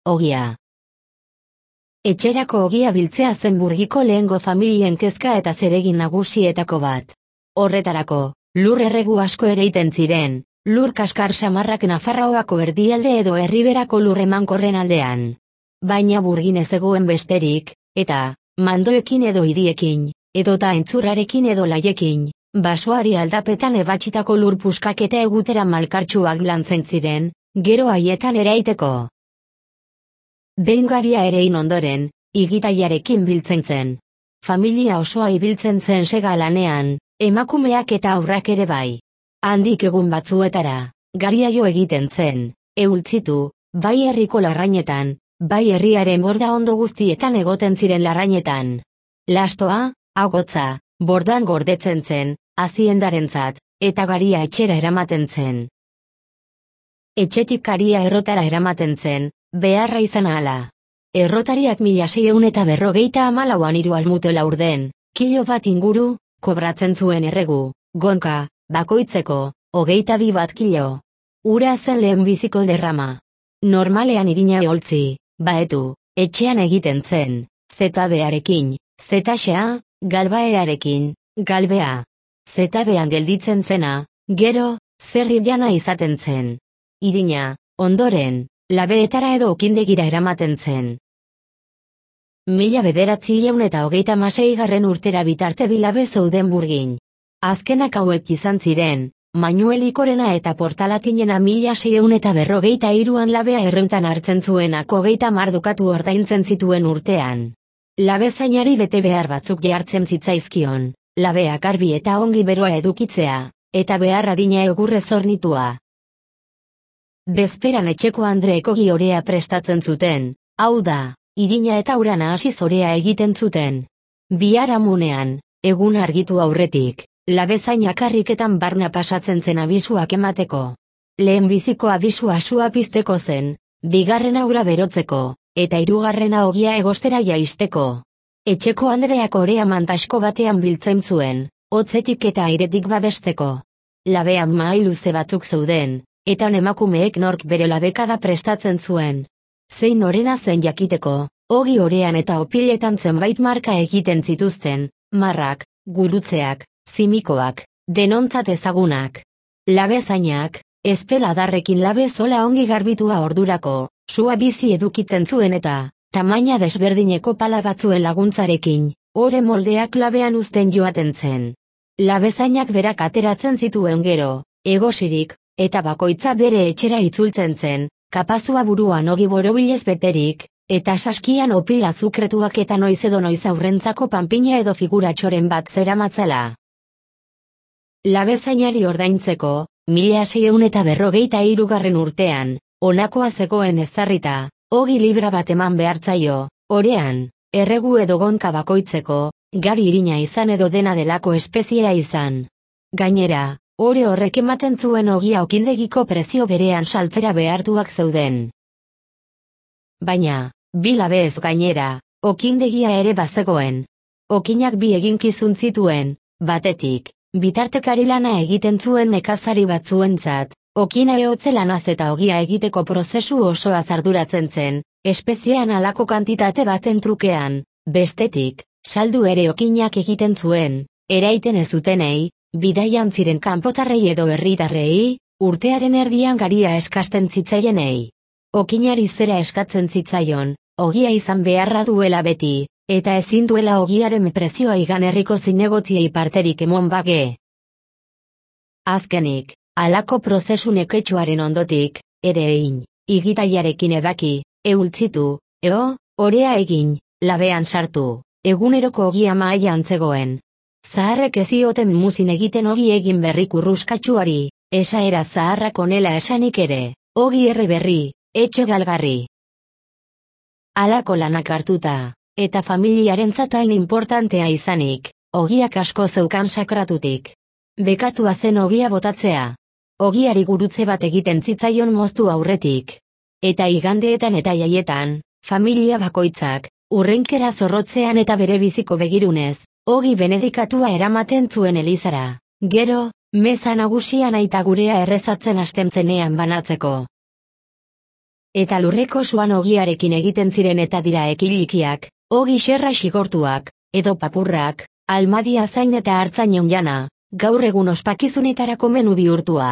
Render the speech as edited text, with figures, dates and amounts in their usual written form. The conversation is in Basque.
ogia. Etxerako ogia biltzea zen Burgiko lehengo familien kezka eta zeregin nagusietako bat. Horretarako, lur erregu asko ereiten ziren, lur kaskar samarrak Nafarroako erdialde edo Erriberako lur emankorren aldean. Baina Burgin ez zegoen besterik, eta, mandoekin edo idiekin, edota entzurrarekin edo laiekin, basoari aldapetan ebatsitako lur puskak eta egutera malkartsuak lantzen ziren, gero haietan eraiteko. Behin garia erein ondoren, igitaiarekin biltzen zen. Familia osoa ibiltzen zen sega lanean, emakumeak eta haurrak ere bai. Handik egun batzuetara, garia jo egiten zen, eultzitu, bai herriko larrainetan, bai herriaren borda ondo guztietan egoten ziren larrainetan. Lastoa, agotza, bordan gordetzen zen, haziendarentzat, eta garia etxera eramaten zen. Etxetik garia errotara eramaten zen, beharra izan ahala. Errotariak 1654an 3 almute laurden, kilo bat inguru, kobratzen zuen erregu, gonka, bakoitzeko, 22 bat kilo. Ura zen lehenbiziko derrama. Normalean irina eholtzi, baetu, etxean egiten zen, zetabearekin, zetaxea, galbaearekin, galbea. Zetabean gelditzen zena, gero, zerri jana izaten zen. Irina, ondoren, labeetara edo okindegira eramaten zen. 1926 urtera bitarte bi labe zeuden Burgin. Azkenak hauek izan ziren, Manuelikorena eta Portalatinena 1653an labea errentan hartzen zuenak 30 dukatu ordaintzen zituen urtean. Labezainari bete behar batzuk jartzen zitzaizkion, labeak garbi eta ongi beroa edukitzea, eta behar adina egurrez hornitua. Bezperan etxeko andreek ogi orea prestatzen zuten, hau da, irina eta urana hasi zorea egiten zuten. Biharamunean, egun argitu aurretik, labezainak karriketan barna pasatzen zen abisuak emateko. Lehenbiziko abisua sua pizteko zen, bigarrena ura berotzeko, eta hirugarrena ogia egostera jaisteko. Etxeko andreak orea mantasko batean biltzen zuen, hotzetik eta airetik babesteko. Labean mahai luze batzuk zeuden, eta emakumeek nork bere labekada prestatzen zuen. Zein orena zen jakiteko, ogi orean eta opiletan zenbait marka egiten zituzten, marrak, gurutzeak, zimikoak, denontzat ezagunak. Labezainak, ezpeladarrekin labe zola ongi garbitua ordurako, sua bizi edukitzen zuen eta, tamaina desberdineko pala batzuen laguntzarekin, ore moldeak labean uzten joaten zen. Labezainak berak ateratzen zituen gero, egosirik, eta bakoitza bere etxera itzultzen zen, kapazua buruan ogi borobilez beterik, eta saskian opil azukretuak eta noiz edo noiz aurrentzako panpina edo figuratxoren bat zeramatzala. Labezainari ordaintzeko, 1653 urtean, honakoa zegoen ezarrita, ogi libra bat eman behartzaio, orean, erregu edo gonka bakoitzeko, gari irina izan edo dena delako espeziea izan. Gainera, ore horrek ematen zuen ogia okindegiko prezio berean saltzera behartuak zeuden. Baina, bi labez gainera, okindegia ere bazegoen. Okinak bi eginkizun zituen, batetik, bitartekari lana egiten zuen nekazari batzuentzat, okina ehotze lanaz eta ogia egiteko prozesu osoa arduratzen zen, espeziean halako kantitate baten trukean, bestetik, saldu ere okinak egiten zuen, eraiten ez zutenei, bidaian ziren kanpotarrei edo herritarrei, urtearen erdian garia eskasten zitzaienei. Okinari zera eskatzen zitzaion, ogia izan beharra duela beti, eta ezin duela ogiaren prezioa igan herriko zinegotziei parterik emon bage. Azkenik, halako prozesu neketsuaren ondotik, ere egin, igitaiarekin ebaki, eultzitu, orea egin, labean sartu, eguneroko ogia mahaian zegoen. Zaharrek ez zioten muzin egiten ogi egin berri kurruskatsuari, esaera zaharrak onela esanik ere, ogi erre berri, etxe galgarri. Halako lanak hartuta, eta familiarentzat hain importantea izanik, ogiak asko zeukan sakratutik. Bekatua zen ogia botatzea. Ogiari gurutze bat egiten zitzaion moztu aurretik. Eta igandeetan eta jaietan, familia bakoitzak, urrenkera zorrotzean eta bere biziko begirunez, ogi benedikatua eramaten zuen elizara. Gero, meza nagusian aita gurea errezatzen hasten zenean banatzeko. Eta lurreko suan ogiarekin egiten ziren eta dira ekilikiak, ogi xerra xigortuak, edo papurrak, almadia zain eta hartzain jana, gaur egun ospakizunetarako menu bihurtua.